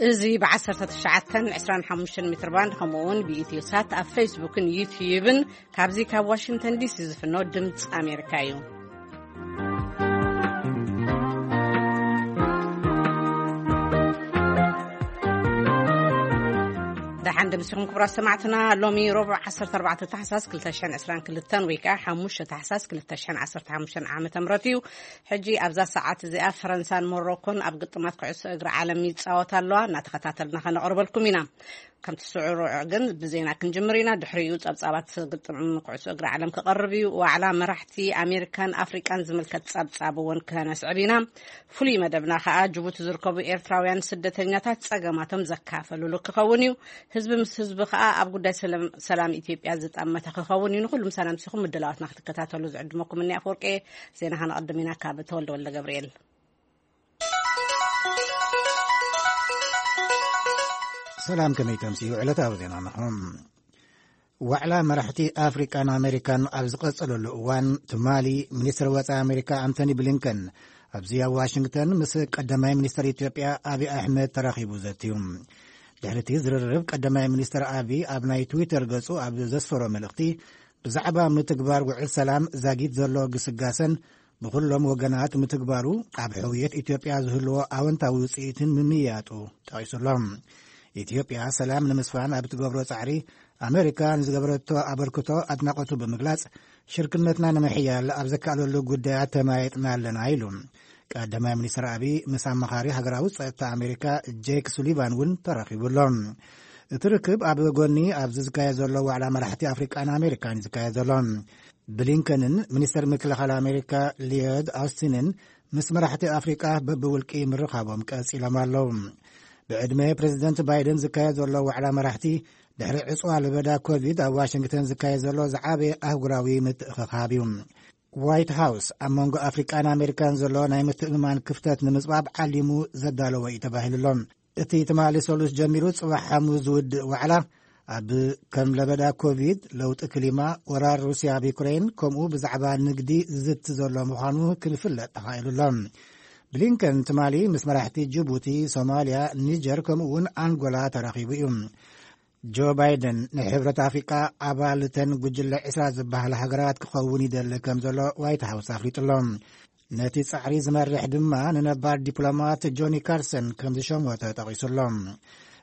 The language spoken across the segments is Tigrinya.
እዚ ብ19 25 ሜትር ባንድ፣ ከምኡ እውን ብኢትዮ ሳት ኣብ ፌስቡክን ዩትዩብን፣ ካብዚ ካብ ዋሽንግተን ዲሲ ዝፍኖ ድምፂ ኣሜሪካ እዩ። ደሓን ደምሲኹም ክቡራት ሰማዕትና። ሎሚ ረቡዕ 14 ታሕሳስ 2022 ወይ ከዓ 5 ታሕሳስ 2015 ዓመተ ምህረት እዩ። ሕጂ ኣብዛ ሰዓት እዚኣ ፈረንሳን ሞሮኮን ኣብ ግጥማት ኩዕሶ እግሪ ዓለም ይጻወታ ኣለዋ። እናተኸታተልና ከነቕርበልኩም ኢና። ከምቲ ስዑር ግን ብዜና ክንጅምር ኢና። ድሕሪኡ ጸብጻባት ግጥም ኩዕሶ እግሪ ዓለም ክቐርብ እዩ። ዋዕላ መራሕቲ ኣሜሪካን ኣፍሪቃን ዝምልከት ጸብጻብ እውን ከነስዕብ ኢና። ፍሉይ መደብና ከኣ ጅቡቲ ዝርከቡ ኤርትራውያን ስደተኛታት ጸገማቶም ዘካፈልሉ ክኸውን እዩ። ህዝቢ ምስ ህዝቢ ከኣ ኣብ ጉዳይ ሰላም፣ ሰላም ኢትዮጵያ ዝጠመተ ክኸውን እዩ። ንኹሉ ምሳና ምሲኹም ምድላዋትና ክትከታተሉ ዝዕድመኩም እኒ ኣፈወርቂ። ዜና ከነቐድም ኢና ካብ ተወልደ ወልደ ገብርኤል። ሰላም፣ ከመይ ተምስዩ ዕለታዊ ዜና ንኹም። ዋዕላ መራሕቲ ኣፍሪቃን ኣሜሪካን ኣብ ዝቐጸለሉ እዋን፣ ትማሊ ሚኒስትር ወጻኢ ኣሜሪካ ኣንቶኒ ብሊንከን ኣብዚ ኣብ ዋሽንግተን ምስ ቀዳማይ ሚኒስትር ኢትዮጵያ ኣብይ ኣሕመድ ተራኺቡ ዘትዩ። ድሕሪ እቲ ዝርርብ፣ ቀዳማይ ሚኒስትር ኣብይ ኣብ ናይ ትዊተር ገጹ ኣብ ዘስፈሮ መልእኽቲ፣ ብዛዕባ ምትግባር ውዕል ሰላም ዛጊት ዘሎ ግስጋሰን ብኹሎም ወገናት ምትግባሩ ኣብ ሕውየት ኢትዮጵያ ዝህልዎ ኣወንታዊ ውጽኢትን ምምያጡ ጠቒሱሎም። ኢትዮጵያ ሰላም ንምስፋን ኣብ ትገብሮ ጻዕሪ ኣሜሪካ ንዝገበረቶ ኣበርክቶ ኣድናቖቱ ብምግላጽ፣ ሽርክነትና ንምሕያል ኣብ ዘካኣለሉ ጉዳያት ተመያይጥና ኣለና ኢሉ። ቀዳማይ ሚኒስትር ኣብይ ምስ ኣማኻሪ ሃገራዊ ጸጥታ ኣሜሪካ ጄክ ሱሊቫን እውን ተራኺቡ ኣሎ። እቲ ርክብ ኣብ ጎኒ ኣብዚ ዝካየድ ዘሎ ዋዕላ መራሕቲ ኣፍሪቃን ኣሜሪካን እዩ ዝካየድ ዘሎ። ብሊንከንን ሚኒስተር ምክልኻል ኣሜሪካ ሊዮድ ኣውስቲንን ምስ መራሕቲ ኣፍሪቃ በብውልቂ ምርኻቦም ቀጺሎም ኣለዉ። ብዕድመ ፕሬዚደንት ባይደን ዝካየድ ዘሎ ዋዕላ መራሕቲ፣ ድሕሪ ዕጽዋ ለበዳ ኮቪድ ኣብ ዋሽንግተን ዝካየድ ዘሎ ዝዓበየ ኣህጉራዊ ምትእኽኻብ እዩ። ዋይት ሃውስ ኣብ መንጎ ኣፍሪቃን ኣሜሪካን ዘሎ ናይ ምትእምማን ክፍተት ንምጽባብ ዓሊሙ ዘዳለወ እዩ ተባሂሉ ኣሎ። እቲ ትማሊ ሰሉስ ጀሚሩ ጽባሕ ሓሙስ ዝውድእ ዋዕላ፣ ኣብ ከም ለበዳ ኮቪድ፣ ለውጢ ክሊማ፣ ወራር ሩስያ ኣብ ዩክሬን፣ ከምኡ ብዛዕባ ንግዲ ዝዝቲ ዘሎ ምዃኑ ክፍለጥ ተኻኢሉ ኣሎ። ብሊንከን ትማሊ ምስ መራሕቲ ጅቡቲ፣ ሶማልያ፣ ኒጀር፣ ከምኡ እውን ኣንጎላ ተራኺቡ እዩ። ጆ ባይደን ንሕብረት ኣፍሪቃ ኣባል እተን ጉጅለ 20 ዝበሃላ ሃገራት ክኸውን ይደሊ ከም ዘሎ ዋይት ሃውስ ኣፍሊጡ ኣሎ። ነቲ ጻዕሪ ዝመርሕ ድማ ንነባር ዲፕሎማት ጆኒ ካርሰን ከም ዝሸሞ ተጠቒሱ ኣሎ።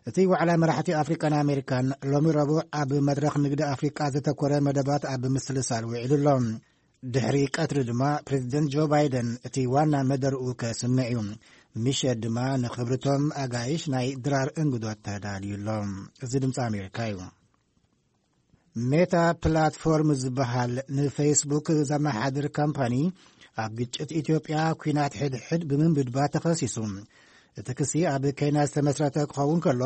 እቲ ዋዕላ መራሕቲ ኣፍሪቃን ኣሜሪካን ሎሚ ረቡዕ ኣብ መድረኽ ንግዲ ኣፍሪቃ ዘተኮረ መደባት ኣብ ምስልሳል ውዒሉ ኣሎ። ድሕሪ ቀትሪ ድማ ፕሬዚደንት ጆ ባይደን እቲ ዋና መደርኡ ከስምዕ እዩ። ምሸት ድማ ንክብርቶም ኣጋይሽ ናይ ድራር እንግዶት ተዳልዩ ኣሎ። እዚ ድምፂ ኣሜሪካ እዩ። ሜታ ፕላትፎርም ዝበሃል ንፌስቡክ ዘመሓድር ካምፓኒ ኣብ ግጭት ኢትዮጵያ ኲናት ሕድሕድ ብምንብድባ ተኸሲሱ። እቲ ክሲ ኣብ ኬንያ ዝተመስረተ ክኸውን ከሎ፣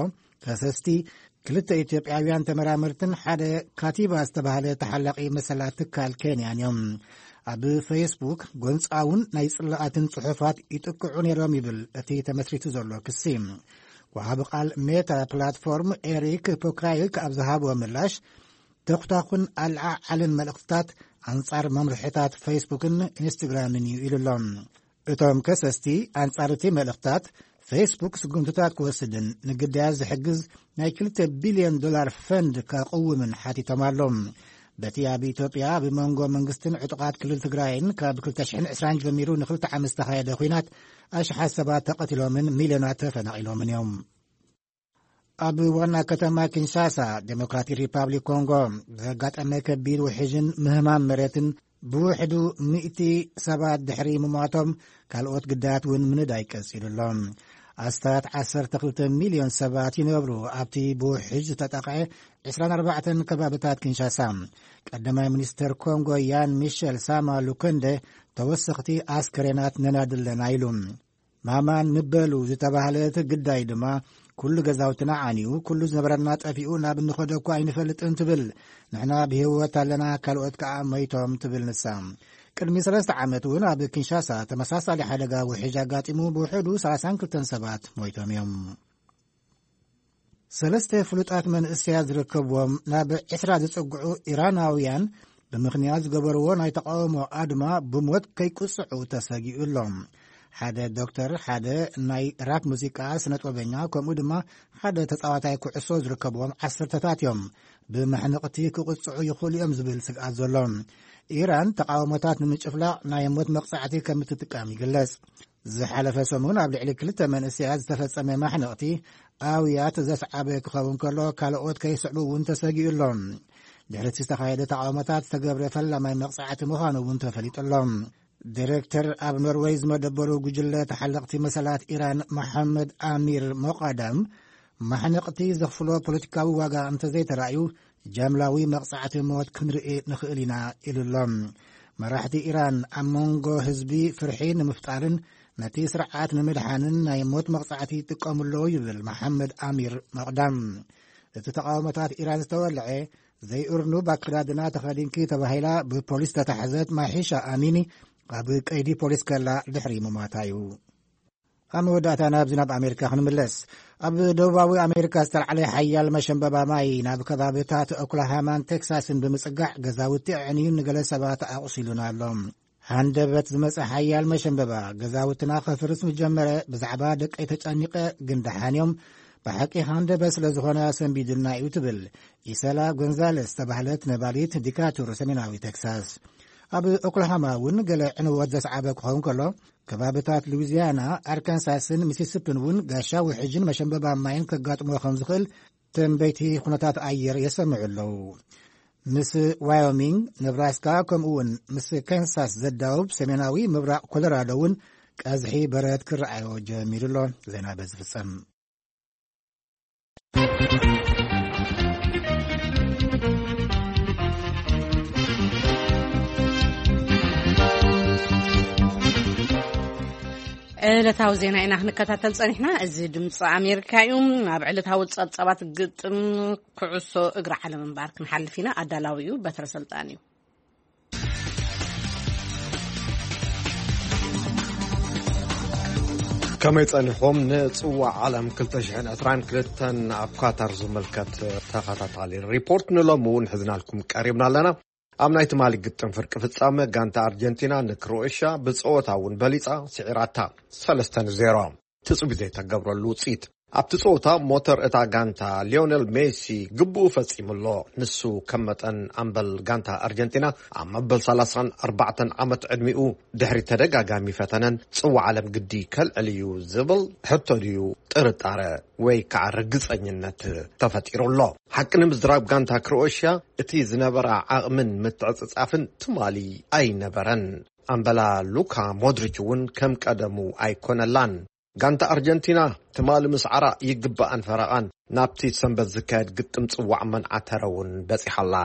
ከሰስቲ ክልተ ኢትዮጵያውያን ተመራመርትን ሓደ ካቲባ ዝተባህለ ተሓላቒ መሰላት ትካል ኬንያን እዮም። ኣብ ፌስቡክ ጎንጻውን ናይ ጽላኣትን ጽሑፋት ይጥቅዑ ነይሮም ይብል እቲ ተመስሪቱ ዘሎ ክሲ። ወሃቢ ቃል ሜታ ፕላትፎርም ኤሪክ ፖክራይክ ኣብ ዝሃቦ ምላሽ፣ ተኹታኹን ኣልዓዓልን መልእኽትታት ኣንጻር መምርሕታት ፌስቡክን ኢንስትግራምን እዩ ኢሉ ኣሎ። እቶም ከሰስቲ ኣንጻር እቲ መልእኽታት ፌስቡክ ስጉምትታት ክወስድን ንግዳያት ዝሕግዝ ናይ 2 ቢልዮን ዶላር ፈንድ ከቕውምን ሓቲቶም ኣለዉ። በቲ ኣብ ኢትዮጵያ ብመንጎ መንግስትን ዕጡቓት ክልል ትግራይን ካብ 2020 ጀሚሩ ንክልተ ዓመት ዝተኻየደ ኲናት ኣሽሓት ሰባት ተቐቲሎምን ሚልዮናት ተፈናቒሎምን እዮም። ኣብ ዋና ከተማ ኪንሻሳ፣ ዴሞክራቲክ ሪፓብሊክ ኮንጎ፣ ዘጋጠመ ከቢድ ውሕጅን ምህማም መሬትን ብውሕዱ ሚእቲ ሰባት ድሕሪ ምሟቶም፣ ካልኦት ግዳያት እውን ምንዳይ ቀጺሉ ኣሎ። ኣስታት 12 ሚልዮን ሰባት ይነብሩ ኣብቲ ብውሕጅ ዝተጠቕዐ 24 ከባብታት ኪንሻሳ። ቀዳማይ ሚኒስተር ኮንጎ ያን ሚሸል ሳማ ሉከንደ፣ ተወሰኽቲ ኣስከሬናት ነናዲ ኣለና ኢሉ። ማማን ምበሉ ዝተባህለት ግዳይ ድማ፣ "ኩሉ ገዛውትና ዓንዩ፣ ኩሉ ዝነበረና ጠፊኡ፣ ናብ እንኸዶ እኳ ኣይንፈልጥን" ትብል። "ንሕና ብህይወት ኣለና፣ ካልኦት ከኣ መይቶም" ትብል ንሳ። ቅድሚ ሰለስተ ዓመት እውን ኣብ ኪንሻሳ ተመሳሳሊ ሓደጋ ውሕጅ ኣጋጢሙ፣ ብውሕዱ 32 ሰባት ሞይቶም እዮም። ሰለስተ ፍሉጣት መንእሰያት ዝርከብዎም ናብ 20 ዝጽግዑ ኢራናውያን፣ ብምኽንያት ዝገበርዎ ናይ ተቃውሞ ኣድማ ብሞት ከይቅጽዑ ተሰጊኡ ኣሎ። ሓደ ዶክተር፣ ሓደ ናይ ራፕ ሙዚቃ ስነጥበበኛ፣ ከምኡ ድማ ሓደ ተጻዋታይ ኩዕሶ ዝርከብዎም ዓሰርተታት እዮም ብመሕንቕቲ ክቕጽዑ ይኽእሉ እዮም ዝብል ስግኣት ዘሎ። ኢራን ተቓውሞታት ንምጭፍላቕ ናይ ሞት መቕጻዕቲ ከም እትጥቀም ይግለጽ። ዝሓለፈ ሰሙን ኣብ ልዕሊ ክልተ መንእሰያት ዝተፈጸመ ማሕንቕቲ ኣውያት ዘስዓበ ክኸውን ከሎ፣ ካልኦት ከይስዕቡ እውን ተሰጊኡ ኣሎ። ድሕሪ እቲ ዝተኻየደ ተቓውሞታት ዝተገብረ ፈላማይ መቕጻዕቲ ምዃኑ እውን ተፈሊጡ ኣሎ። ዲሬክተር ኣብ ኖርወይ ዝመደበሩ ጉጅለ ተሓለቕቲ መሰላት ኢራን መሓመድ ኣሚር ሞቃዳም፣ ማሕነቕቲ ዘኽፍሎ ፖለቲካዊ ዋጋ እንተዘይተራእዩ፣ ጃምላዊ መቕጻዕቲ ሞት ክንርኢ ንኽእል ኢና ኢሉ ኣሎ። መራሕቲ ኢራን ኣብ መንጎ ህዝቢ ፍርሒ ንምፍጣርን ነቲ ስርዓት ንምድሓንን ናይ ሞት መቕጻዕቲ ይጥቀሙ ኣለዉ ይብል መሓመድ ኣሚር መቕዳም። እቲ ተቓውሞታት ኢራን ዝተወልዐ፣ ዘይእርኑብ ኣከዳድና ተኸዲንኪ ተባሂላ ብፖሊስ ተታሕዘት ማሒሻ ኣሚኒ ኣብ ቀይዲ ፖሊስ ከላ ድሕሪ ምሟታ እዩ። ኣብ መወዳእታ ናብ ዝናብ ኣሜሪካ ክንምለስ። ኣብ ደቡባዊ ኣሜሪካ ዝተላዕለ ሓያል መሸንበባ ማይ ናብ ከባብታት ኦክላሃማን ቴክሳስን ብምጽጋዕ ገዛውቲ ኣዕንዩን ንገለ ሰባት ኣቑሲሉን ኣሎ። ሃንደበት ዝመጸ ሓያል መሸንበባ ገዛውትና ከፍርስ ምጀመረ። ብዛዕባ ደቀይ ተጨኒቐ፣ ግን ደሓን እዮም። ብሓቂ ሃንደበት ስለ ዝኾነ ሰንቢዱና እዩ ትብል ኢሰላ ጎንዛለስ ዝተባህለት ነባሪት ዲካቱር ሰሜናዊ ቴክሳስ። ኣብ ኦክላሃማ እውን ገለ ዕንወት ዘስዓበ ክኸውን ከሎ፣ ከባብታት ሉዊዚያና፣ ኣርካንሳስን ሚሲሲፕን እውን ጋሻ ውሕጅን መሸንበባ ማይን ከጋጥሞ ከም ዝኽእል ተንበይቲ ኩነታት ኣየር የሰምዑ ኣለዉ። ምስ ዋዮሚንግ፣ ነብራስካ፣ ከምኡ እውን ምስ ካንሳስ ዘዳውብ ሰሜናዊ ምብራቕ ኮሎራዶ እውን ቀዝሒ በረድ ክረኣዮ ጀሚሩ ኣሎ። ዜና በዚ ፍጸም። ዕለታዊ ዜና ኢና ክንከታተል ጸኒሕና። እዚ ድምፂ ኣሜሪካ እዩ። ናብ ዕለታዊ ጸብጻባት ግጥም ኩዕሶ እግሪ ዓለም እምበኣር ክንሓልፍ ኢና። ኣዳላዊኡ በትረ ሰልጣን እዩ። ከመይ ጸኒሕኩም? ንጽዋዕ ዓለም ክልተ ሽሕን ዕስራን ክልተን ኣብ ኳታር ዝምልከት ተኸታታሊ ሪፖርት ንሎሚ እውን ሒዝናልኩም ቀሪብና ኣለና። ኣብ ናይ ትማሊ ግጥም ፍርቂ ፍጻመ፣ ጋንታ ኣርጀንቲና ንክሮኤሽያ ብጸወታ እውን በሊጻ ስዒራታ፣ ሰለስተ ንዜሮ። ትጽቢት ዘይተገብረሉ ውጽኢት። ኣብቲ ጸወታ ሞተር እታ ጋንታ ሊዮኔል ሜሲ ግቡኡ ፈጺሙ ኣሎ። ንሱ ከም መጠን ኣምበል ጋንታ ኣርጀንቲና፣ ኣብ መበል ሰላሳን ኣርባዕተን ዓመት ዕድሚኡ ድሕሪ ተደጋጋሚ ፈተነን ጽዋዕ ዓለም ግዲ ከልዕል እዩ ዝብል ሕቶ ድዩ ጥርጣረ ወይ ከዓ ርግጸኝነት ተፈጢሩ ኣሎ? ሓቂ ንምዝራብ ጋንታ ክሮኤሽያ እቲ ዝነበራ ዓቕምን ምትዕጽጻፍን ትማሊ ኣይነበረን። ኣምበላ ሉካ ሞድሪች እውን ከም ቀደሙ ኣይኮነላን። ጋንታ ኣርጀንቲና ትማሊ ምስዓራ ይግባኣን ፈረቓን ናብቲ ሰንበት ዝካየድ ግጥም ጽዋዕ መንዓተረ እውን በጺሓ ኣላ።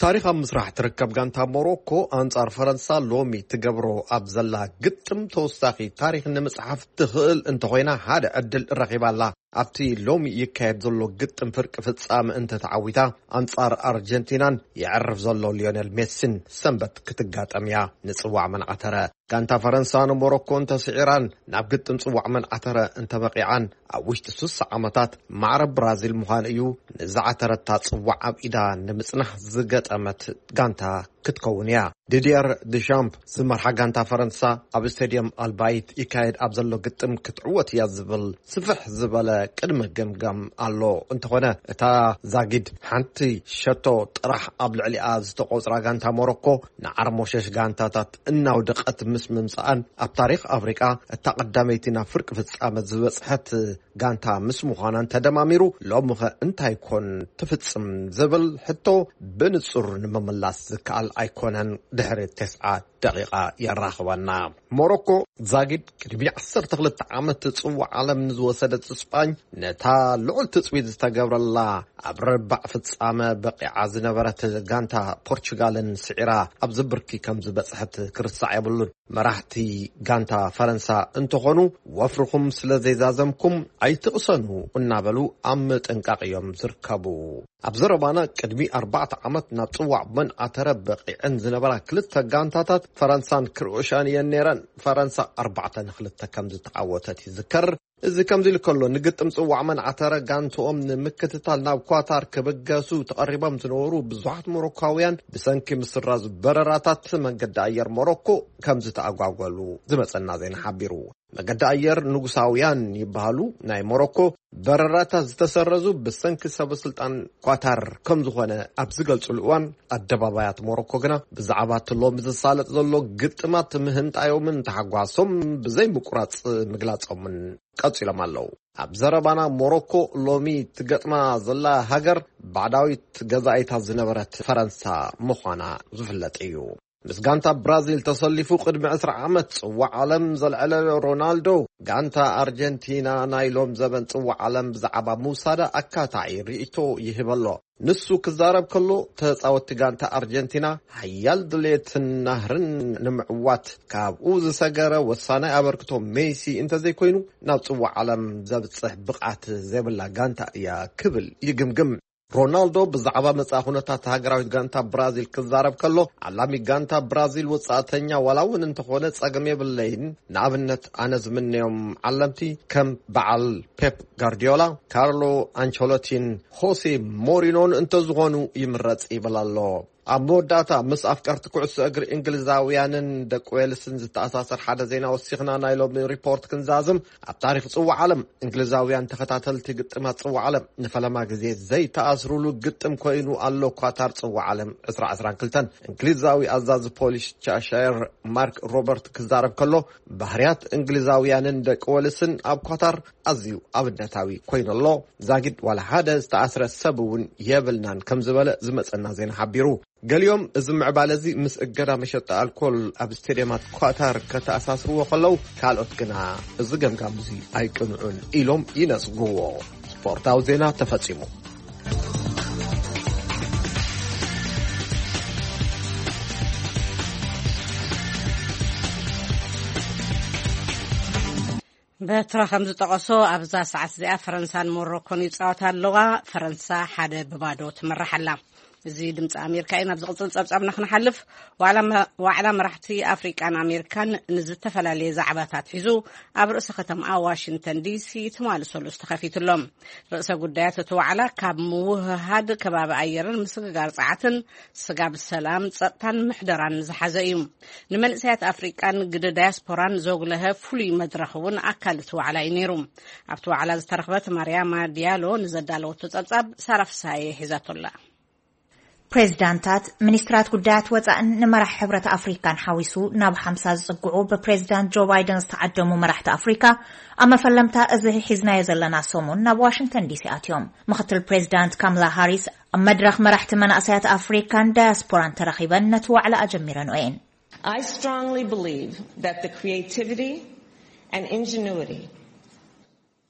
ታሪኽ ኣብ ምስራሕ ትርከብ ጋንታ ሞሮኮ ኣንጻር ፈረንሳ ሎሚ ትገብሮ ኣብ ዘላ ግጥም ተወሳኺ ታሪኽ ንምጽሓፍ ትኽእል እንተኾይና ሓደ ዕድል ረኺባ ኣላ። ኣብቲ ሎሚ ይካየድ ዘሎ ግጥም ፍርቂ ፍጻመ እንተተዓዊታ ኣንጻር ኣርጀንቲናን የዕርፍ ዘሎ ሊዮኔል ሜሲን ሰንበት ክትጋጠም እያ። ንጽዋዕ መንዓተረ ጋንታ ፈረንሳ ንሞሮኮ እንተስዒራን ናብ ግጥም ጽዋዕ መንዓተረ እንተበቂዓን ኣብ ውሽጢ ስሳ ዓመታት ማዕረ ብራዚል ምዃን እዩ ንዝዓተረታ ጽዋዕ ኣብ ኢዳ ንምጽናሕ ዝገጠመት ጋንታ ክትከውን እያ። ዲድየር ድሻምፕ ዝመርሓ ጋንታ ፈረንሳ ኣብ ስቴድየም ኣልባይት ይካየድ ኣብ ዘሎ ግጥም ክትዕወት እያ ዝብል ስፍሕ ዝበለ ቅድመ ገምጋም ኣሎ። እንተኾነ እታ ዛጊድ ሓንቲ ሸቶ ጥራሕ ኣብ ልዕሊኣ ዝተቆጽራ ጋንታ ሞሮኮ ንዓርሞሸሽ ጋንታታት እናውደቐት ምስ ምምጽኣን ኣብ ታሪኽ ኣፍሪቃ እታ ቀዳመይቲ ናብ ፍርቂ ፍጻመ ዝበጽሐት ጋንታ ምስ ምዃናን ተደማሚሩ ሎምኸ እንታይ ኮን ትፍጽም ዝብል ሕቶ ብንጹር ንምምላስ ዝከኣል ኣይኮነን። ድሕሪ ተስዓ ደቂቓ የራኽበና። ሞሮኮ ዛጊድ ቅድሚ ዓሰርተ ክልተ ዓመት ጽዋዕ ዓለም ንዝወሰደት ስጳኝ ነታ ልዑል ትጽቢት ዝተገብረላ ኣብ ርባዕ ፍጻመ በቂዓ ዝነበረት ጋንታ ፖርቹጋልን ስዒራ ኣብዚ ብርኪ ከም ዝበጽሐት ክርሳዕ የብሉን። መራሕቲ ጋንታ ፈረንሳ እንተኾኑ ወፍርኹም ስለ ዘይዛዘምኩም ኣይትቕሰኑ እናበሉ ኣብ ምጥንቃቕ እዮም ዝርከቡ። ኣብ ዘረባና ቅድሚ ኣርባዕተ ዓመት ናብ ጽዋዕ መንዓተረ በቒዐን ዝነበራ ክልተ ጋንታታት ፈረንሳን ክሮኤሽያን እየን ነይረን። ፈረንሳ ኣርባዕተ ንክልተ ከም ዝተዓወተት ይዝከር። እዚ ከምዚ ኢሉ ከሎ፣ ንግጥም ጽዋዕ መን ዓተረ ጋንትኦም ንምክትታል ናብ ኳታር ክብገሱ ተቐሪቦም ዝነበሩ ብዙሓት ሞሮኳውያን ብሰንኪ ምስራዝ በረራታት መንገዲ ኣየር ሞሮኮ ከም ዝተኣጓጎሉ ዝመጸና ዜና ሓቢሩ። መገዲ ኣየር ንጉሳውያን ይበሃሉ ናይ ሞሮኮ በረራታት ዝተሰረዙ ብሰንኪ ሰበ ስልጣን ኳታር ከም ዝኾነ ኣብ ዝገልጹሉ እዋን፣ ኣደባባያት ሞሮኮ ግና ብዛዕባ እቲ ሎሚ ዝሳለጥ ዘሎ ግጥማት ምህንጣዮምን ተሓጓሶም ብዘይ ምቁራጽ ምግላጾምን ቀጺሎም ኣለዉ። ኣብ ዘረባና፣ ሞሮኮ ሎሚ ትገጥማ ዘላ ሃገር ባዕዳዊት ገዛኢታ ዝነበረት ፈረንሳ ምዃና ዝፍለጥ እዩ። ምስ ጋንታ ብራዚል ተሰሊፉ ቅድሚ ዕስራ ዓመት ጽዋዕ ዓለም ዘልዐለ ሮናልዶ፣ ጋንታ ኣርጀንቲና ናይ ሎም ዘበን ጽዋዕ ዓለም ብዛዕባ ምውሳዳ ኣካታዒ ርእይቶ ይህበ ኣሎ። ንሱ ክዛረብ ከሎ፣ ተጻወትቲ ጋንታ ኣርጀንቲና ሓያል ድሌትን ናህርን ንምዕዋት ካብኡ ዝሰገረ ወሳናይ ኣበርክቶ ሜሲ እንተዘይኮይኑ፣ ናብ ጽዋዕ ዓለም ዘብጽሕ ብቕዓት ዘይብላ ጋንታ እያ ክብል ይግምግም። ሮናልዶ ብዛዕባ መጻኢ ኩነታት ሃገራዊት ጋንታ ብራዚል ክዛረብ ከሎ፣ ዓላሚ ጋንታ ብራዚል ወጻእተኛ ዋላ እውን እንተኾነ ጸገም የብለይን። ንኣብነት፣ ኣነ ዝምነዮም ዓለምቲ ከም በዓል ፔፕ ጋርዲዮላ፣ ካርሎ ኣንቸሎቲን ሆሴ ሞሪኖን እንተዝኾኑ ይምረጽ ይብል ኣሎ። ኣብ መወዳእታ፣ ምስ ኣፍቀርቲ ኩዕሶ እግሪ እንግሊዛውያንን ደቂ ዌልስን ዝተኣሳሰር ሓደ ዜና ወሲኽና ናይ ሎሚ ሪፖርት ክንዛዝም። ኣብ ታሪኽ ጽዋዕ ዓለም፣ እንግሊዛውያን ተኸታተልቲ ግጥማት ጽዋዕ ዓለም ንፈለማ ግዜ ዘይተኣስሩሉ ግጥም ኮይኑ ኣሎ። ኳታር ጽዋዕ ዓለም ዕስራ ዕስራን ክልተን፣ እንግሊዛዊ ኣዛዚ ፖሊስ ቻሻየር ማርክ ሮበርት ክዛረብ ከሎ፣ ባህርያት እንግሊዛውያንን ደቂ ዌልስን ኣብ ኳታር ኣዝዩ ኣብነታዊ ኮይኑ ኣሎ። ዛጊድ ዋላ ሓደ ዝተኣስረ ሰብ እውን የብልናን ከም ዝበለ ዝመጸና ዜና ሓቢሩ። ገሊኦም እዚ ምዕባለ እዚ ምስ እገዳ መሸጣ ኣልኮል ኣብ ስቴድየማት ኳታር ከተኣሳስርዎ ከለዉ፣ ካልኦት ግና እዚ ገምጋም እዚ ኣይቅንዑን ኢሎም ይነጽግዎ። ስፖርታዊ ዜና ተፈጺሙ። በትራ ከም ዝጠቐሶ፣ ኣብዛ ሰዓት እዚኣ ፈረንሳን ሞሮኮን ይጻወታ ኣለዋ። ፈረንሳ ሓደ ብባዶ ትምራሕ ኣላ። እዚ ድምፂ ኣሜሪካ እዩ። ናብ ዝቕፅል ፀብፃብና ክንሓልፍ፣ ዋዕላ መ-፣ ዋዕላ መራሕቲ ኣፍሪቃን ኣሜሪካን ንዝተፈላለየ ዛዕባታት ሒዙ ኣብ ርእሰ ከተማኣ ዋሽንግተን ዲሲ ትማሊ ሰሉስ ተኸፊቱ ኣሎ። ርእሰ ጉዳያት እቲ ዋዕላ ካብ ምውህሃድ ከባቢ ኣየርን ምስግጋር ጸዓትን ስጋብ ሰላም፣ ጸጥታን ምሕደራን ዝሓዘ እዩ። ንመንእሰያት ኣፍሪቃን ግደ ዳያስፖራን ዘጉለሀ ፍሉይ መድረኽ እውን ኣካል እቲ ዋዕላ እዩ ነይሩ። ኣብቲ ዋዕላ ዝተረኽበት ማርያማ ዲያሎ ንዘዳለወቶ ጸብጻብ ሳራ ፍስሃየ ሒዛቶላ። ፕሬዚዳንታት፣ ሚኒስትራት ጉዳያት ወጻእን ንመራሕ ሕብረት ኣፍሪካን ሓዊሱ ናብ ሓምሳ ዝጽግዑ ብፕሬዚዳንት ጆ ባይደን ዝተዓደሙ መራሕቲ ኣፍሪካ፣ ኣብ መፈለምታ እዚ ሒዝናዮ ዘለና ሰሙን ናብ ዋሽንግተን ዲሲ ኣትዮም። ምክትል ፕሬዚዳንት ካምላ ሃሪስ ኣብ መድረኽ መራሕቲ መናእሰያት ኣፍሪካን ዳያስፖራን ተረኺበን ነቲ ዋዕላ ኣጀሚረንኦ እየን። I strongly believe that the creativity and ingenuity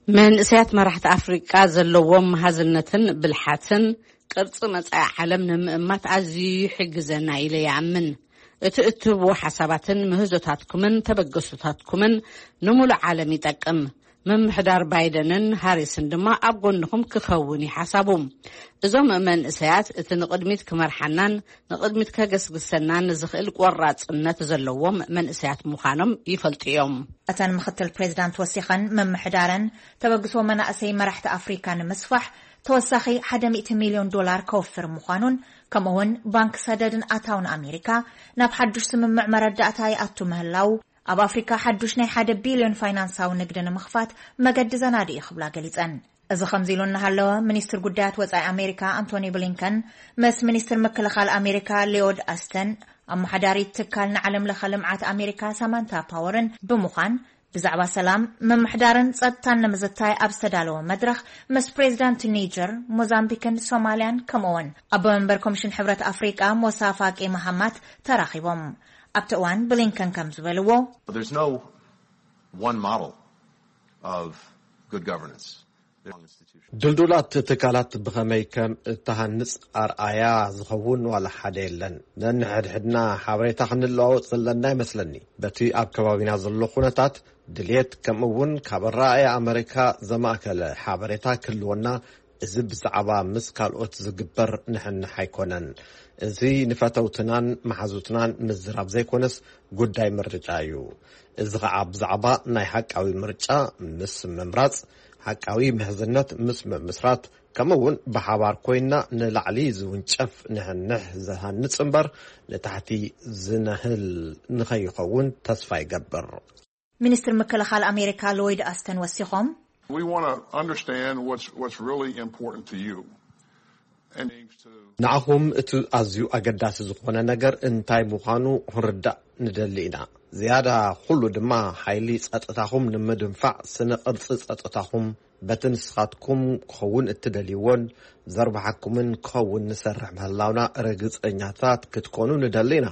መንእሰያት መራሕቲ ኣፍሪቃ ዘለዎም መሃዝነትን ብልሓትን፣ ቅርጺ መጻኢ ዓለም ንምእማት ኣዝዩ ይሕግዘና ኢለ ይኣምን። እቲ እትህብዎ ሓሳባትን ምህዞታትኩምን ተበገሶታትኩምን ንምሉእ ዓለም ይጠቅም። ምምሕዳር ባይደንን ሃሪስን ድማ ኣብ ጎንኹም ክኸውን እዩ ሓሳቡ። እዞም መንእሰያት እቲ ንቕድሚት ክመርሓናን ንቕድሚት ከገስግሰናን ዝኽእል ቆራጽነት ዘለዎም መንእሰያት ምዃኖም ይፈልጡ እዮም። እተን ምክትል ፕሬዚዳንት ወሲኸን፣ ምምሕዳረን ተበግሶ መናእሰይ መራሕቲ ኣፍሪካ ንምስፋሕ ተወሳኺ ሓደ ሚእቲ ሚልዮን ዶላር ከወፍር ምዃኑን፣ ከምኡ እውን ባንክ ሰደድን ኣታውን ኣሜሪካ ናብ ሓዱሽ ስምምዕ መረዳእታ ይኣቱ ምህላው፣ ኣብ ኣፍሪካ ሓዱሽ ናይ ሓደ ቢልዮን ፋይናንሳዊ ንግዲ ንምኽፋት መገዲ ዘናዲ እዩ ክብላ ገሊጸን። እዚ ከምዚ ኢሉ እናሃለወ፣ ሚኒስትር ጉዳያት ወጻኢ ኣሜሪካ ኣንቶኒ ብሊንከን ምስ ሚኒስትር ምክልኻል ኣሜሪካ ሊዮድ ኣስተን፣ ኣመሓዳሪት ትካል ንዓለም ለኸ ልምዓት ኣሜሪካ ሳማንታ ፓወርን ብምዃን፣ ብዛዕባ ሰላም፣ ምምሕዳርን ጸጥታን ንምዝታይ ኣብ ዝተዳለወ መድረኽ ምስ ፕሬዚዳንት ኒጀር፣ ሞዛምቢክን ሶማልያን፣ ከምኡውን ኣቦ መንበር ኮሚሽን ሕብረት ኣፍሪቃ ሞሳ ፋቂ መሃማት ተራኺቦም። ኣብቲ እዋን ብሊንከን ከም ዝበልዎ፣ There's no one model of good governance. ድልዱላት ትካላት ብኸመይ ከም እተሃንጽ ኣርኣያ ዝኸውን ዋላ ሓደ የለን። ነንሕድሕድና ሓበሬታ ክንለዋወጥ ዘለና ይመስለኒ። በቲ ኣብ ከባቢና ዘሎ ኩነታት ድልየት፣ ከምኡ እውን ካብ ኣረኣእያ ኣመሪካ ዘማእከለ ሓበሬታ ክህልወና እዚ ብዛዕባ ምስ ካልኦት ዝግበር ንሕንሕ ኣይኮነን። እዚ ንፈተውትናን መሓዙትናን ምዝራብ ዘይኮነስ፣ ጉዳይ ምርጫ እዩ። እዚ ኸዓ ብዛዕባ ናይ ሓቃዊ ምርጫ ምስ ምምራጽ፣ ሓቃዊ ምሕዝነት ምስ ምምስራት፣ ከምኡ እውን ብሓባር ኮይና ንላዕሊ ዝውንጨፍ ንሕንሕ ዝሃንጽ እምበር፣ ንታሕቲ ዝነህል ንኸይኸውን ተስፋ ይገብር። ሚኒስትር ምክልኻል ኣሜሪካ ሎይድ ኣስተን ወሲኾም፣ We want to understand what's, what's really important to you. And to ንዓኹም እቲ ኣዝዩ ኣገዳሲ ዝኾነ ነገር እንታይ ምዃኑ ክንርዳእ ንደሊ ኢና። ዝያዳ ኩሉ ድማ፣ ሓይሊ ጸጥታኹም ንምድንፋዕ፣ ስነ ቅርጺ ጸጥታኹም በቲ ንስኻትኩም ክኸውን እትደልይዎን ዘርባሕኩምን ክኸውን ንሰርሕ ምህላውና ርግጸኛታት ክትኮኑ ንደሊ ኢና።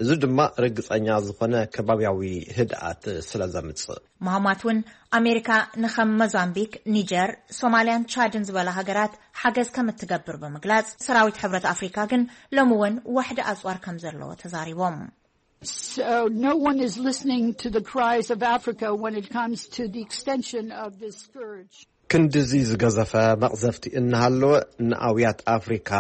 እዚ ድማ ርግጸኛ ዝኾነ ከባብያዊ ህድኣት ስለ ዘምጽእ። ማህማት እውን፣ ኣሜሪካ ንኸም ሞዛምቢክ፣ ኒጀር፣ ሶማልያን ቻድን ዝበላ ሃገራት ሓገዝ ከም እትገብር ብምግላጽ፣ ሰራዊት ሕብረት ኣፍሪካ ግን ሎሚ እውን ዋሕዲ ኣጽዋር ከም ዘለዎ ተዛሪቦም። So no one is listening to the cries of Africa when it comes to the extension of this scourge. ክንድዚ ዝገዘፈ መቕዘፍቲ እናሃለወ፣ ንኣውያት ኣፍሪካ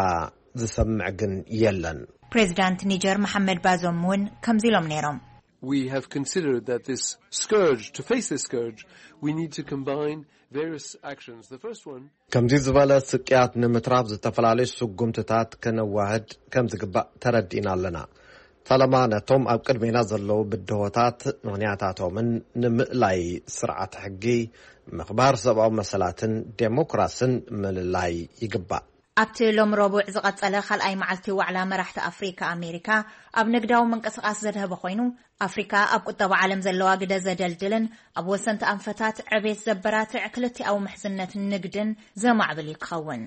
ዝሰምዕ ግን የለን። ፕሬዚዳንት ኒጀር መሓመድ ባዞም እውን ከምዚ ኢሎም ነይሮም። We have considered that this scourge, to face this scourge, we need to combine various actions. The first one ከምዚ ዝበለ ስቅያት ንምትራፍ ዝተፈላለዩ ስጉምትታት ከነዋህድ ከም ዝግባእ ተረዲእና ኣለና። ፈለማ ነቶም ኣብ ቅድሜና ዘለዉ ብድሆታት ምኽንያታቶምን ንምእላይ ስርዓት ሕጊ፣ ምኽባር ሰብኣዊ መሰላትን ዴሞክራስን ምልላይ ይግባእ። ኣብቲ ሎሚ ረቡዕ ዝቐጸለ ካልኣይ መዓልቲ ዋዕላ መራሕቲ ኣፍሪካ ኣሜሪካ ኣብ ንግዳዊ ምንቅስቓስ ዘድሀበ ኮይኑ፣ ኣፍሪካ ኣብ ቁጠባ ዓለም ዘለዋ ግደ ዘደልድልን ኣብ ወሰንቲ ኣንፈታት ዕቤት ዘበራትዕ ክልቲኣዊ ምሕዝነት ንግድን ዘማዕብል እዩ ክኸውን።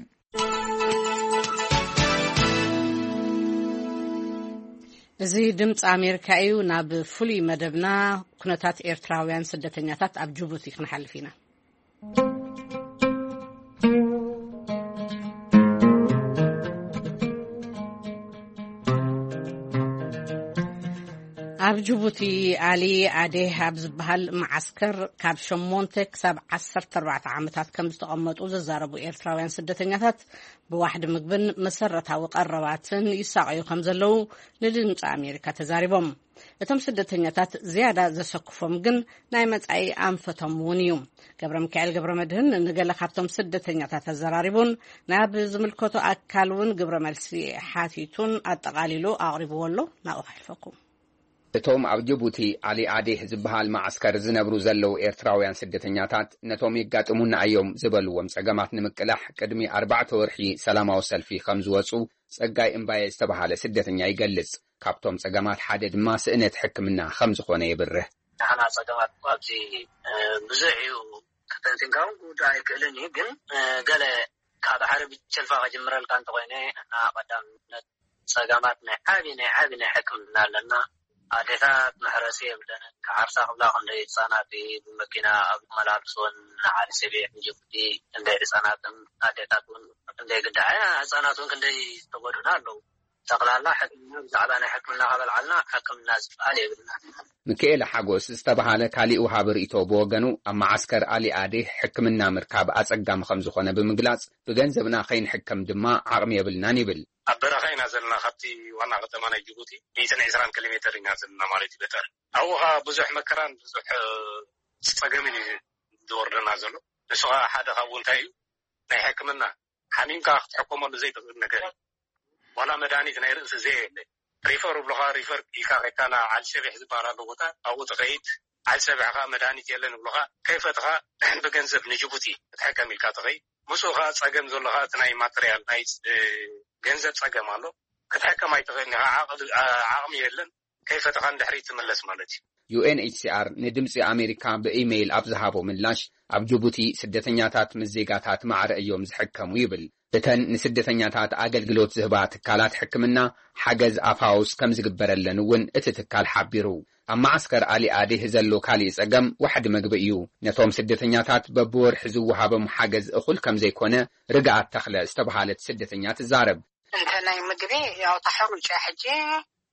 እዚ ድምፂ ኣሜሪካ እዩ። ናብ ፍሉይ መደብና፣ ኩነታት ኤርትራውያን ስደተኛታት ኣብ ጅቡቲ ክንሓልፍ ኢና። ኣብ ጅቡቲ፣ ኣሊ ኣዴህ ኣብ ዝበሃል መዓስከር ካብ ሸሞንተ ክሳብ ዓሰርተ ኣርባዕተ ዓመታት ከም ዝተቐመጡ ዝዛረቡ ኤርትራውያን ስደተኛታት፣ ብዋሕዲ ምግብን መሰረታዊ ቀረባትን ይሳቐዩ ከም ዘለዉ ንድምፂ ኣሜሪካ ተዛሪቦም። እቶም ስደተኛታት ዝያዳ ዘሰክፎም ግን ናይ መጻኢ ኣንፈቶም እውን እዩ። ገብረ ሚካኤል ገብረ መድህን ንገለ ካብቶም ስደተኛታት ኣዘራሪቡን ናብ ዝምልከቶ ኣካል እውን ግብረ መልሲ ሓቲቱን ኣጠቓሊሉ ኣቕሪብዎ ኣሎ። ናብኡ ከሕልፈኩም። እቶም ኣብ ጅቡቲ ኣሊ ኣዴህ ዝበሃል መዓስከር ዝነብሩ ዘለዉ ኤርትራውያን ስደተኛታት፣ ነቶም የጋጥሙና እዮም ዝበልዎም ጸገማት ንምቅላሕ ቅድሚ ኣርባዕተ ወርሒ ሰላማዊ ሰልፊ ከም ዝወጹ ጸጋይ እምባየ ዝተባሃለ ስደተኛ ይገልጽ። ካብቶም ጸገማት ሓደ ድማ ስእነት ሕክምና ከም ዝኾነ የብርህ። ንሕና ጸገማት እኮ ኣብዚ ብዙሕ እዩ። ከተንቲንካ እውን ክውዳእ ኣይክእልን እዩ፣ ግን ገለ ካብ ሓደ ብቸልፋ ክጅምረልካ እንተኾይነ፣ እና ቀዳምነት ጸገማት ናይ ዓቢ ናይ ዓቢ ናይ ሕክምና ኣለና። ኣዴታት መሕረሲ የብለንን። ክሓርሳ ክብላ ክንደይ ህጻናት ብመኪና ኣብ መላልስወን ንዓዲ ሰቤሕ ንጅቡቲ ክንደይ ህጻናትን ኣዴታት እውን ክንደይ ግዳ ህጻናት እውን ክንደይ ዝተጎዱና ኣለዉ። ጠቕላላ ሕክምና ብዛዕባ ናይ ሕክምና ከበልዓልና ሕክምና ዝበሃል የብልና። ሚካኤል ሓጎስ ዝተባሃለ ካሊእ ወሃቢ ርእቶ ብወገኑ ኣብ መዓስከር ኣሊ ኣዴህ ሕክምና ምርካብ ኣጸጋሚ ከም ዝኾነ ብምግላጽ ብገንዘብና ከይንሕከም ድማ ዓቕሚ የብልናን ይብል። ኣብ በረኻ ኢና ዘለና ካብቲ ዋና ከተማ ናይ ጅቡቲ ሚእትን ዕስራን ኪሎ ሜተር ኢና ዘለና ማለት እዩ ገጠር ኣብኡ ኸዓ ብዙሕ መከራን ብዙሕ ጸገምን እዩ ዝወርደና ዘሎ። ንሱ ኸዓ ሓደ ካብኡ እንታይ እዩ ናይ ሕክምና ሓሚምካ ክትሕከመሉ ዘይትኽእል ነገር እዩ። ዋላ መድሃኒት ናይ ርእሲ ዘየለ ሪፈር ይብሉኻ። ሪፈር ኢልካ ከይድካ ናብ ዓሊ ሰቢሕ ዝበሃል ኣሎ ቦታ ኣብኡ ትኸይድ። ዓሊ ሰቢሕ ኸዓ መድሃኒት የለን ይብሉኻ። ከይፈትኻ ብገንዘብ ንጅቡቲ ክትሕከም ኢልካ ትኸይድ። ምስኡ ኸዓ ጸገም ዘሎ ኸዓ እቲ ናይ ማተርያል ናይ ገንዘብ ጸገም ኣሎ። ክትሕከም ኣይትኽእልን ኢኻ። ዓቕሚ የለን። ከይፈተኻ ንድሕሪት ትምለስ ማለት እዩ። ዩ ኤን ኤች ሲ ኣር ንድምጺ ኣሜሪካ ብኢሜይል ኣብ ዝሃቦ ምላሽ፣ ኣብ ጅቡቲ ስደተኛታት ምስ ዜጋታት ማዕረ እዮም ዝሕከሙ ይብል። እተን ንስደተኛታት ኣገልግሎት ዝህባ ትካላት ሕክምና ሓገዝ ኣፋውስ ከም ዝግበረለን እውን እቲ ትካል ሓቢሩ። ኣብ መዓስከር ኣሊ ኣዴህ ዘሎ ካሊእ ጸገም ዋሕዲ መግቢ እዩ። ነቶም ስደተኛታት በብወርሒ ዝወሃቦም ሓገዝ እኹል ከም ዘይኮነ ርግኣት ተኽለ ዝተባሃለት ስደተኛ ትዛረብ። እንተ ናይ ምግቢ ያው ተሐሩጭ ሕጂ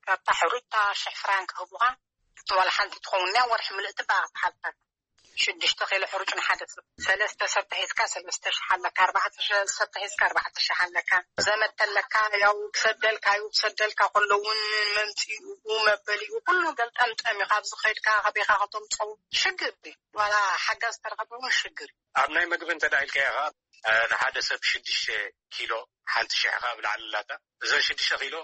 ካብታ ሕሩጭ ሽሕ ፍራንክ ክህቡኻ ዋላ ሓንቲ ትኸውን እያ ወርሒ ምልእቲ በኣኻ ትሓልፋ። ሽዱሽተ ኪሎ ሕሩጭ ንሓደ ሰብ፣ ሰለስተ ሰብ ተሒዝካ ሰለስተ ሽሕ ኣለካ፣ ኣርባዕተ ሰብ ተሒዝካ ኣርባዕተ ሽሕ ኣለካ። ዘመድ ተለካ ያው ክሰደልካ እዩ፣ ክሰደልካ ከሎ እውን መምፅኡ መበሊኡ ኩሉ ገልጠምጠም እዩ። ካብዚ ከይድካ ከቤካ ከተምፅኦ ሽግር እዩ። ዋላ ሓጋዝ ተረኸበ እውን ሽግር እዩ። ኣብ ናይ ምግቢ እንተ ደኣ ኢልካዮ ኸዓ፣ እ፣ ንሓደ ሰብ ሽዱሽተ ኪሎ፣ ሓንቲ ሽሕ ኸዓ ብላዕሊ ኣላታ። እዘን ሽዱሽተ ኪሎ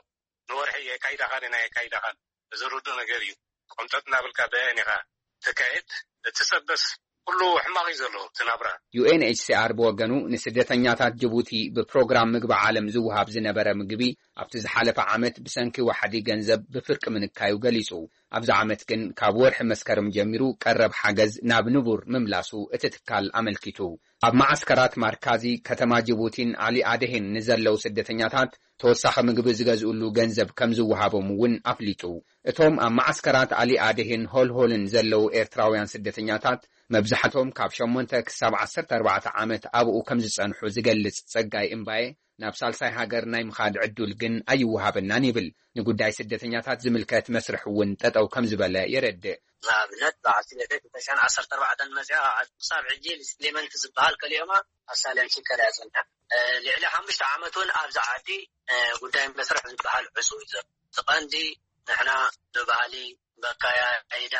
ንወርሒ የካይዳኻን ናይ የካይዳኻን፣ እዚ ርዱእ ነገር እዩ። ቆምጠጥ እናበልካ በየን ኢኻ ትካየድ? እቲ ሰበስ ኩሉ ሕማቕ እዩ ዘሎ እቲ ናብራ። ዩ ኤን ኤች ሲ ኣር ብወገኑ፣ ንስደተኛታት ጅቡቲ ብፕሮግራም ምግቢ ዓለም ዝወሃብ ዝነበረ ምግቢ ኣብቲ ዝሓለፈ ዓመት ብሰንኪ ዋሕዲ ገንዘብ ብፍርቂ ምንካዩ ገሊጹ። ኣብዚ ዓመት ግን ካብ ወርሒ መስከረም ጀሚሩ ቀረብ ሓገዝ ናብ ንቡር ምምላሱ እቲ ትካል ኣመልኪቱ። ኣብ መዓስከራት ማርካዚ፣ ከተማ ጅቡቲን ኣሊ ኣደሄን ንዘለዉ ስደተኛታት ተወሳኺ ምግቢ ዝገዝእሉ ገንዘብ ከም ዝወሃቦም እውን ኣፍሊጡ። እቶም ኣብ መዓስከራት ኣሊ ኣደሄን ሆልሆልን ዘለዉ ኤርትራውያን ስደተኛታት፣ መብዛሕቶም ካብ ሸሞንተ ክሳብ ዓሰርተ ኣርባዕተ ዓመት ኣብኡ ከም ዝጸንሑ ዝገልጽ ጸጋይ እምባየ፣ ናብ ሳልሳይ ሃገር ናይ ምኻድ ዕዱል ግን ኣይወሃበናን ይብል። ንጉዳይ ስደተኛታት ዝምልከት መስርሕ እውን ጠጠው ከም ዝበለ የረድእ። ንኣብነት፣ በዓልቲ ቤተይ ክልተ ሽሕን ዓሰርተ ኣርባዕተን መጺኣ፣ ክሳብ ሕጂ ሪስሌመንት ዝበሃል ከሊኦማ ኣሳይለም ሲከር እያ ጸኒሓ። እ፣ ልዕሊ ሓሙሽተ ዓመት እውን ኣብዚ ዓዲ፣ እ፣ ጉዳይ መስርሕ ዝበሃል ዕጹው እዩ ዘሎ። እቲ ቀንዲ ንሕና ብባህሊ፣ በካያይዳ፣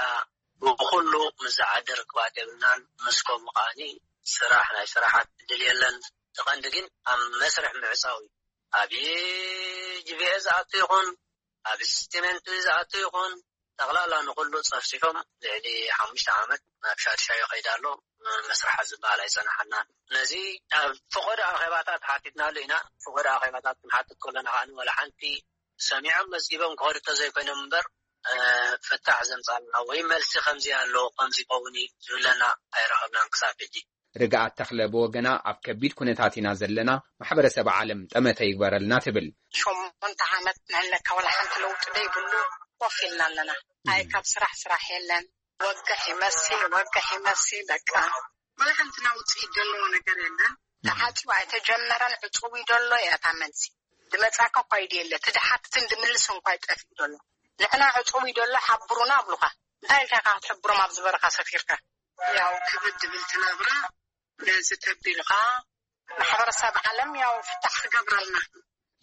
ብኹሉ ምስ ዝዓዲ ርክባት የብልናን። ምስ ከምኡ ከኣኒ ስራሕ፣ ናይ ስራሕ ዕድል የለን። እቲ ቀንዲ ግን ኣብ መስርሕ ምዕጻው እዩ። ኣብ ጂ ቪ ኤ ዝኣቱ ይኹን፣ ኣብ ስቴትመንት ዝኣቱ ይኹን፣ ጠቕላላ ንኹሉ ጸፍጺፎም ልዕሊ ሓሙሽተ ዓመት ናብ ሻድሻዮ ከይዳ ኣሎ። መስርሓ ዝበሃል ኣይጸንሓናን። ነዚ ኣብ ፈቐዶ ኣኼባታት ሓቲትናሉ ኢና። ፈቐዶ ኣኼባታት ክንሓትት ከለና ከኣ ዋላ ሓንቲ ሰሚዖም መዝጊቦም ክኸዱ እንተዘይኮይኖም እምበር፣ እ፣ ፍታሕ ዘምጻልና ወይ መልሲ ከምዚ ኣሎ፣ ከምዚ ይኸውን እዩ ዝብለና ኣይረኸብናን ክሳብ ሕጂ። ርግኣት ተኽለ ብወገና፣ ኣብ ከቢድ ኩነታት ኢና ዘለና፣ ማሕበረሰብ ዓለም ጠመተ ይግበረልና ትብል። ሸሞንተ ዓመት ንህለካ ዋላ ሓንቲ ለውጢ ደይብሉ ኮፍ ኢልና ኣለና። ኣይ ካብ ስራሕ ስራሕ የለን። ወግሕ ይመሲ፣ ወግሕ ይመሲ፣ በቃ። ዋላ ሓንቲ ናውፂ ዘለዎ ነገር የለን። ተዓፅዩ ኣይተጀመረን፣ ዕፅው እዩ ዘሎ እያ እታ መልሲ። ዝመፃካ እኳ ኢድ የለ፣ ትድሓትትን ድምልስ እንኳ ይጠፍእ ዘሎ። ንሕና ዕፅው እዩ ዘሎ፣ ሓብሩና ኣብሉኻ። እንታይ ኢልካ ኢኻ ክትሕብሮም ኣብዚ በረኻ ሰፊርካ? ያው ክብድ ድብል ትነብራ ነዚ ተቢልኻ ማሕበረሰብ ዓለም ያው ፍታሕ ክገብረልና።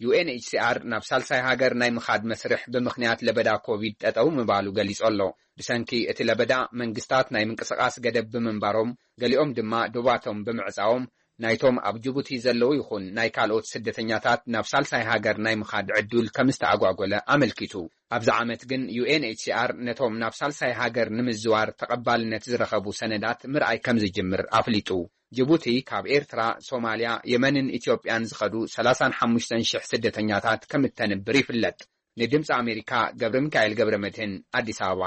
ዩ ኤን ኤች ሲ ኣር ናብ ሳልሳይ ሃገር ናይ ምኻድ መስርሕ ብምኽንያት ለበዳ ኮቪድ ጠጠው ምባሉ ገሊጹ ኣሎ። ብሰንኪ እቲ ለበዳ መንግስታት ናይ ምንቅስቓስ ገደብ ብምንባሮም፣ ገሊኦም ድማ ዶባቶም ብምዕጻዎም፣ ናይቶም ኣብ ጅቡቲ ዘለዉ ይኹን ናይ ካልኦት ስደተኛታት ናብ ሳልሳይ ሃገር ናይ ምኻድ ዕዱል ከም ዝተኣጓጎለ ኣመልኪቱ። ኣብዚ ዓመት ግን ዩ ኤን ኤች ሲ ኣር ነቶም ናብ ሳልሳይ ሃገር ንምዝዋር ተቐባልነት ዝረኸቡ ሰነዳት ምርኣይ ከም ዝጅምር ኣፍሊጡ። ጅቡቲ ካብ ኤርትራ፣ ሶማልያ፣ የመንን ኢትዮጵያን ዝኸዱ ሰላሳን ሓሙሽተን ሽሕ ስደተኛታት ከም እተንብር ይፍለጥ። ንድምፂ ኣሜሪካ ገብረ ሚካኤል ገብረ መድህን፣ ኣዲስ ኣበባ።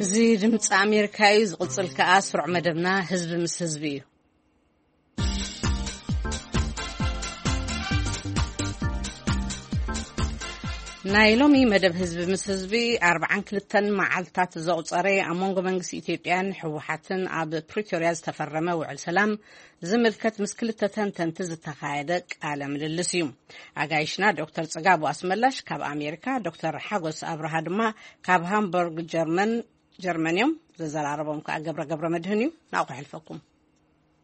እዚ ድምፂ ኣሜሪካ እዩ። ዝቕፅል ከኣ ስሩዕ መደብና ህዝቢ ምስ ህዝቢ እዩ። ናይ ሎሚ መደብ ህዝቢ ምስ ህዝቢ ኣርባዓን ክልተን መዓልታት ዘቑጸረ ኣብ መንጎ መንግስቲ ኢትዮጵያን ህወሓትን ኣብ ፕሪቶርያ ዝተፈረመ ውዕል ሰላም ዝምልከት ምስ ክልተ ተንተንቲ ዝተኻየደ ቃለ ምልልስ እዩ። ኣጋይሽና ዶክተር ጽጋቡ ኣስመላሽ ካብ ኣሜሪካ፣ ዶክተር ሓጎስ ኣብርሃ ድማ ካብ ሃምበርግ ጀርመን፣ ጀርመን እዮም። ዘዘራረቦም ከኣ ገብረ ገብረ መድህን እዩ። ናብኡ ክሕልፈኩም።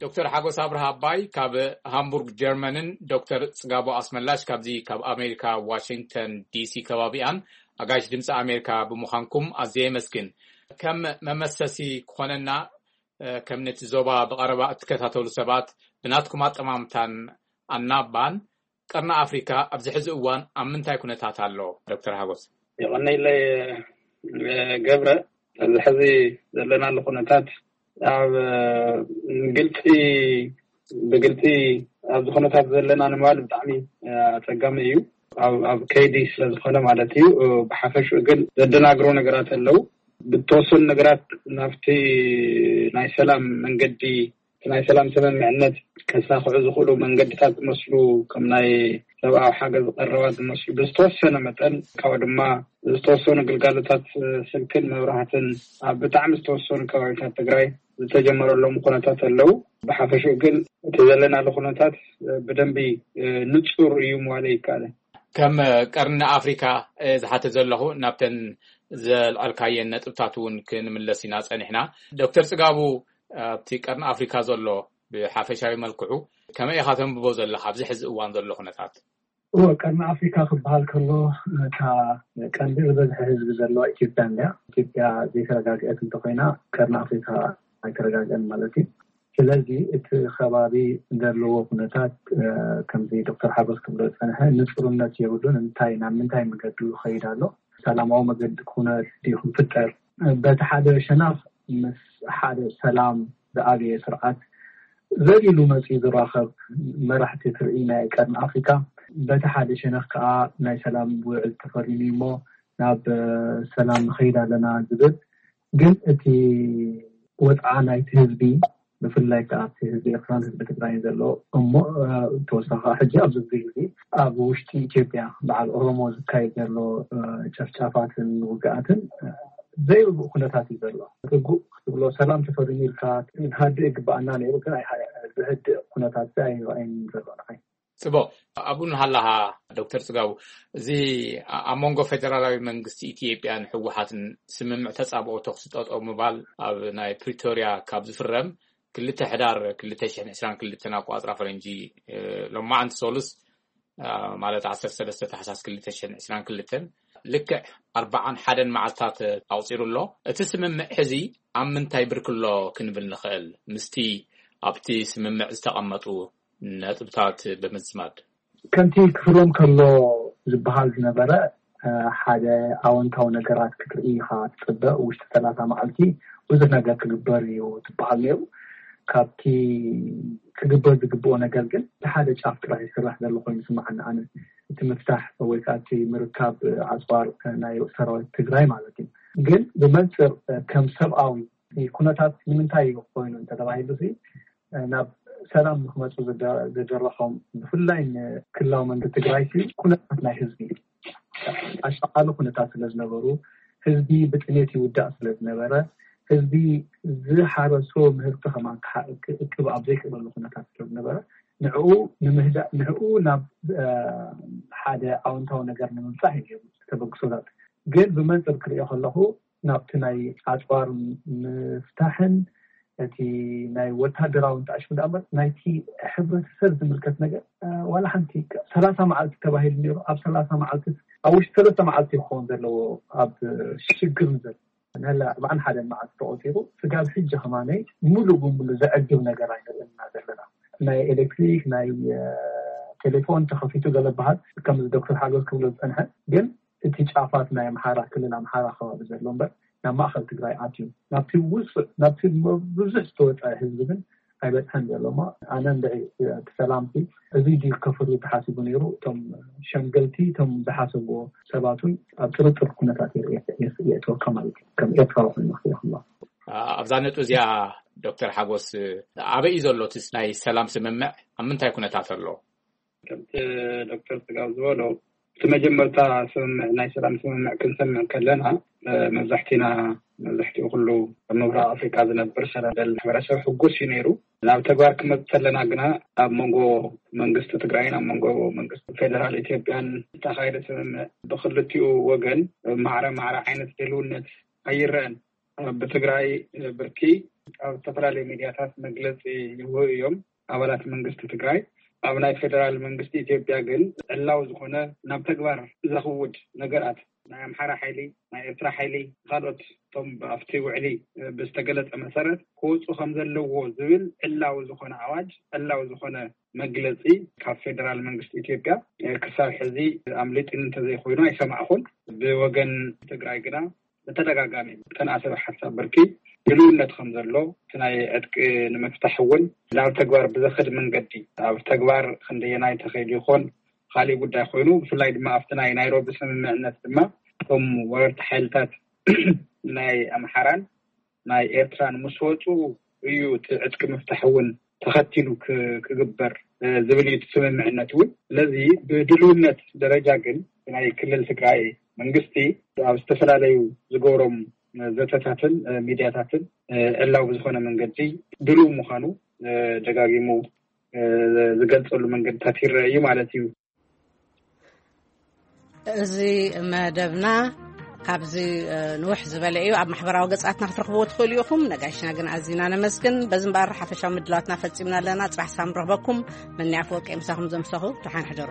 ዶክተር ሓጎስ ኣብርሃ ኣባይ ካብ ሃምቡርግ ጀርመንን ዶክተር ጽጋቡ ኣስመላሽ ካብዚ ካብ ኣሜሪካ ዋሽንግተን ዲ ሲ ከባቢኣን ኣጋይሽ ድምፂ ኣሜሪካ ብምዃንኩም ኣዝየ የመስግን። ከም መመሰሲ ክኾነና፣ እ፣ ከም ነቲ ዞባ ብቐረባ እትከታተሉ ሰባት ብናትኩም ኣጠማምታን ኣናባን ቀርኒ ኣፍሪካ ኣብዚ ሕዚ እዋን ኣብ ምንታይ ኩነታት ኣሎ? ዶክተር ሓጎስ። የቐነይለይ ገብረ፣ ኣብዚ ሕዚ ዘለናሉ ኩነታት ኣብ ግልፂ፣ ብግልፂ ኣብዚ ኩነታት ዘለና ንምባል ብጣዕሚ ኣፀጋሚ እዩ። ኣብ ኣብ ከይዲ ስለ ዝኾነ ማለት እዩ። ብሓፈሽኡ ግን ዘደናግሩ ነገራት ኣለዉ። ብተወሰኑ ነገራት ናብቲ ናይ ሰላም መንገዲ፣ እቲ ናይ ሰላም ስምምዕነት ከሳኽዑ ዝኽእሉ መንገድታት ዝመስሉ ከም ናይ ሰብኣዊ ሓገዝ ቀረባት ዝመስሉ ብዝተወሰነ መጠን ካብኡ ድማ ዝተወሰኑ ግልጋሎታት ስልክን መብራህትን ኣብ ብጣዕሚ ዝተወሰኑ ከባቢታት ትግራይ ዝተጀመረሎም ኩነታት ኣለዉ። ብሓፈሽኡ ግን እቲ ዘለናሉ ኩነታት ብደንቢ ንፁር እዩ ምባል ይከኣል። ከም ቀርኒ ኣፍሪካ ዝሓተ ዘለኹ፣ ናብተን ዘልዓልካየን ነጥብታት እውን ክንምለስ ኢና ጸኒሕና። ዶክተር ጽጋቡ፣ ኣብቲ ቀርኒ ኣፍሪካ ዘሎ ብሓፈሻዊ መልክዑ ከመይ ኢኻ ተንብቦ ዘለኻ ኣብዚ ሕዚ እዋን ዘሎ ኩነታት? ቀርኒ ኣፍሪካ ክበሃል ከሎ፣ እታ ቀንዲ ዝበዝሐ ህዝቢ ዘለዋ ኢትዮጵያ እንድያ። ኢትዮጵያ ዘይተረጋግአት እንተኮይና፣ ቀርኒ ኣፍሪካ ኣይተረጋግአን ማለት እዩ። ስለዚ እቲ ከባቢ ዘለዎ ኩነታት፣ ከምዚ ዶክተር ሓጎስ ክብሎ ዝፀንሐ፣ ንፅሩነት የብሉን። እንታይ፣ ናብ ምንታይ መገዱ ይኸይድ ኣሎ? ሰላማዊ መገዲ ኩነት ድዩ ክፍጠር? በቲ ሓደ ሸነኽ፣ ምስ ሓደ ሰላም ዝኣብየ ስርዓት ዘሊሉ መፂኡ ዝራኸብ መራሕቲ ትርኢ ናይ ቀርኒ ኣፍሪካ። በቲ ሓደ ሸነኽ ከዓ፣ ናይ ሰላም ውዕል ተፈሪሙ እሞ ናብ ሰላም ንኸይድ ኣለና ዝብል። ግን እቲ ወፅዓ ናይቲ ህዝቢ፣ ብፍላይ ከዓ ኣብቲ ህዝቢ ኤርትራን ህዝቢ ትግራይን ዘሎ፣ እሞ ተወሳኺ ሕጂ ኣብዚ ግዜ ኣብ ውሽጢ ኢትዮጵያ በዓል ኦሮሞ ዝካየድ ዘሎ ጨፍጫፋትን ውግኣትን ዘይብኡ ኩነታት እዩ ዘሎ። ርጉእ ክትብሎ፣ ሰላም ተፈሪሙ ኢልካ ክንሃድእ ይግባኣና ነይሩ፣ ግን ዝህድእ ኩነታት ኣይረኣይን ዘሎ ንዓይ። ጽቡቕ። ኣብኡ እናሃለኻ፣ ዶክተር ጽጋቡ፣ እዚ ኣብ መንጎ ፌደራላዊ መንግስቲ ኢትዮጵያን ህወሓትን ስምምዕ ተጻብኦ ተኹሲ ጠጠው ምባል ኣብ ናይ ፕሪቶርያ ካብ ዝፍረም ክልተ ሕዳር ክልተ ሽሕን ዕስራን ክልተን ኣቋጽራ ፈረንጂ፣ ሎማዓንቲ ሶሉስ፣ ማለት ዓሰርተ ሰለስተ ታሕሳስ ክልተ ሽሕን ዕስራን ክልተን፣ ልክዕ ኣርባዓን ሓደን መዓልታት ኣቑጺሩ ኣሎ። እቲ ስምምዕ ሕዚ ኣብ ምንታይ ብርክ ኣሎ ክንብል ንኽእል? ምስቲ ኣብቲ ስምምዕ ዝተቐመጡ ነጥብታት ብምዝማድ። ከምቲ ክፍረም ከሎ ዝበሃል ዝነበረ፣ ሓደ ኣወንታዊ ነገራት ክትርኢ ኢኻ ትፅበ። ውሽጢ ሰላሳ መዓልቲ ብዙሕ ነገር ክግበር እዩ ዝበሃል ነይሩ። ካብቲ ክግበር ዝግብኦ ነገር ግን እቲ ሓደ ጫፍ ጥራሕ ይስራሕ ዘሎ ኮይኑ ይስምዓኒ ኣነ። እቲ ምፍታሕ ወይ ከዓ እቲ ምርካብ ኣፅዋር ናይ ሰራዊት ትግራይ ማለት እዩ። ግን ብመንፅር ከም ሰብኣዊ ኩነታት ንምንታይ እዩ ኮይኑ እንተተባሂሉ፣ ናብ ሰላም ንክመፁ ዝደረኾም ብፍላይ ንክልላዊ መንግስቲ ትግራይ ኩነታት ናይ ህዝቢ፣ ኣሻቓሊ ኩነታት ስለዝነበሩ፣ ህዝቢ ብጥሜት ይውዳእ ስለዝነበረ፣ ህዝቢ ዝሓረሶ ምህርቲ ከማን ክእክብ ኣብ ዘይክእለሉ ኩነታት ስለዝነበረ፣ ንዕኡ ንምህዳእ፣ ንዕኡ ናብ ሓደ ኣወንታዊ ነገር ንምብፃሕ እዩ ተበግሶታት። ግን ብመንፅር ክሪኦ ከለኹ፣ ናብቲ ናይ ኣፅዋር ምፍታሕን እቲ ናይ ወታደራዊ እንተኣሽሙ ደኣ እምበር፣ ናይቲ ሕብረተሰብ ዝምልከት ነገር ዋላ ሓንቲ። ሰላሳ መዓልቲ ተባሂሉ ነይሩ። ኣብ ሰላሳ መዓልቲ፣ ኣብ ውሽጢ ሰለስተ መዓልቲ ክኸውን ዘለዎ ኣብ ሽግር ንዘሎ ንለ ኣርባዓን ሓደን መዓልቲ ተቆፂሩ። ስጋብ ሕጂ ከማነይ ሙሉእ ብሙሉእ ዘዕግብ ነገር ኣይንርእና ዘለና። ናይ ኤሌክትሪክ፣ ናይ ቴሌፎን ተኸፊቱ ገለ በሃል፣ ከምዚ ዶክተር ሓጎስ ክብሎ ዝፀንሐ። ግን እቲ ጫፋት ናይ ኣምሓራ፣ ክልል ኣምሓራ ከባቢ ዘሎ እምበር፣ ናብ ማእኸል ትግራይ ኣትዩ ናብቲ ውፅእ፣ ናብቲ ብዙሕ ዝተወፀ ህዝቢ ግን ኣይበፅሐን ዘሎ። እሞ ኣነ እንድዒ እቲ ሰላምቲ እዚ ድዩ ከፍሪ ተሓሲቡ ነይሩ? እቶም ሸምገልቲ፣ እቶም ዝሓሰብዎ ሰባት እውን ኣብ ጥርጥር ኩነታት የእትወካ ማለት እዩ፣ ከም ኤርትራዊ ኮይኑ ክሪኦ ከሎ። ኣብዛ ነጥቢ እዚኣ፣ ዶክተር ሓጎስ፣ ኣበይ እዩ ዘሎ እቲ ናይ ሰላም ስምምዕ? ኣብ ምንታይ ኩነታት ኣሎ? ከምቲ ዶክተር ስጋብ ዝበሎ፣ እቲ መጀመርታ ስምምዕ፣ ናይ ሰላም ስምምዕ ክንሰምዕ ከለና፣ መብዛሕቲና፣ መብዛሕቲኡ ኩሉ ኣብ ምብራቕ ኣፍሪካ ዝነብር ሰላም ደሊ ማሕበረሰብ ሕጉስ እዩ ነይሩ። ናብ ተግባር ክመፅ ከለና ግና፣ ኣብ መንጎ መንግስቲ ትግራይን ኣብ መንጎ መንግስቲ ፌደራል ኢትዮጵያን ዝተኻየደ ስምምዕ ብክልቲኡ ወገን ማዕረ ማዕረ ዓይነት ድልውነት ኣይረአን። ብትግራይ ብርኪ ኣብ ዝተፈላለዩ ሚዲያታት መግለፂ ይህቡ እዮም ኣባላት መንግስቲ ትግራይ። ኣብ ናይ ፌደራል መንግስቲ ኢትዮጵያ ግን ዕላዊ ዝኾነ ናብ ተግባር ዘኽውድ ነገራት፣ ናይ ኣምሓራ ሓይሊ፣ ናይ ኤርትራ ሓይሊ፣ ካልኦት እቶም ኣብቲ ውዕሊ ብዝተገለጸ መሰረት ክወፁ ከም ዘለዎ ዝብል ዕላዊ ዝኾነ ኣዋጅ፣ ዕላዊ ዝኾነ መግለፂ ካብ ፌደራል መንግስቲ ኢትዮጵያ ክሳብ ሕዚ ኣምሊጥኒ እንተዘይኮይኑ ኣይሰማዕኹን። ብወገን ትግራይ ግና ብተደጋጋሚ ተናእሰበ ሓሳብ ብርኪ ድልውነት ከም ዘሎ፣ እቲ ናይ ዕጥቂ ንምፍታሕ እውን ናብ ተግባር ብዘኽድ መንገዲ ኣብ ተግባር ክንደየናይ ተኸይዱ ይኾን ካሊእ ጉዳይ ኮይኑ፣ ብፍላይ ድማ ኣብቲ ናይ ናይሮቢ ስምምዕነት ድማ እቶም ወረርቲ ሓይልታት ናይ ኣምሓራን ናይ ኤርትራን ምስ ወፁ እዩ እቲ ዕጥቂ ምፍታሕ እውን ተኸቲሉ ክግበር ዝብል እዩ እቲ ስምምዕነት እውን። ስለዚ ብድልውነት ደረጃ ግን ናይ ክልል ትግራይ መንግስቲ ኣብ ዝተፈላለዩ ዝገብሮም ዘተታትን ሚድያታትን ዕላዊ ብዝኾነ መንገዲ ድልው ምዃኑ ደጋጊሙ ዝገልፀሉ መንገድታት ይረአ እዩ ማለት እዩ። እዚ መደብና ካብዚ ንውሕ ዝበለ እዩ። ኣብ ማሕበራዊ ገጻትና ክትረኽብዎ ትኽእሉ ኢኹም። ነጋሽና ግን ኣዚና ነመስግን። በዚ እምበኣር ሓፈሻዊ ምድላዋትና ፈጺምና ኣለና። ጽባሕ ሳም ረኽበኩም። መኒ ኣፈወርቂ ምሳኹም ዘምሰኹ። ደሓን ሕደሩ።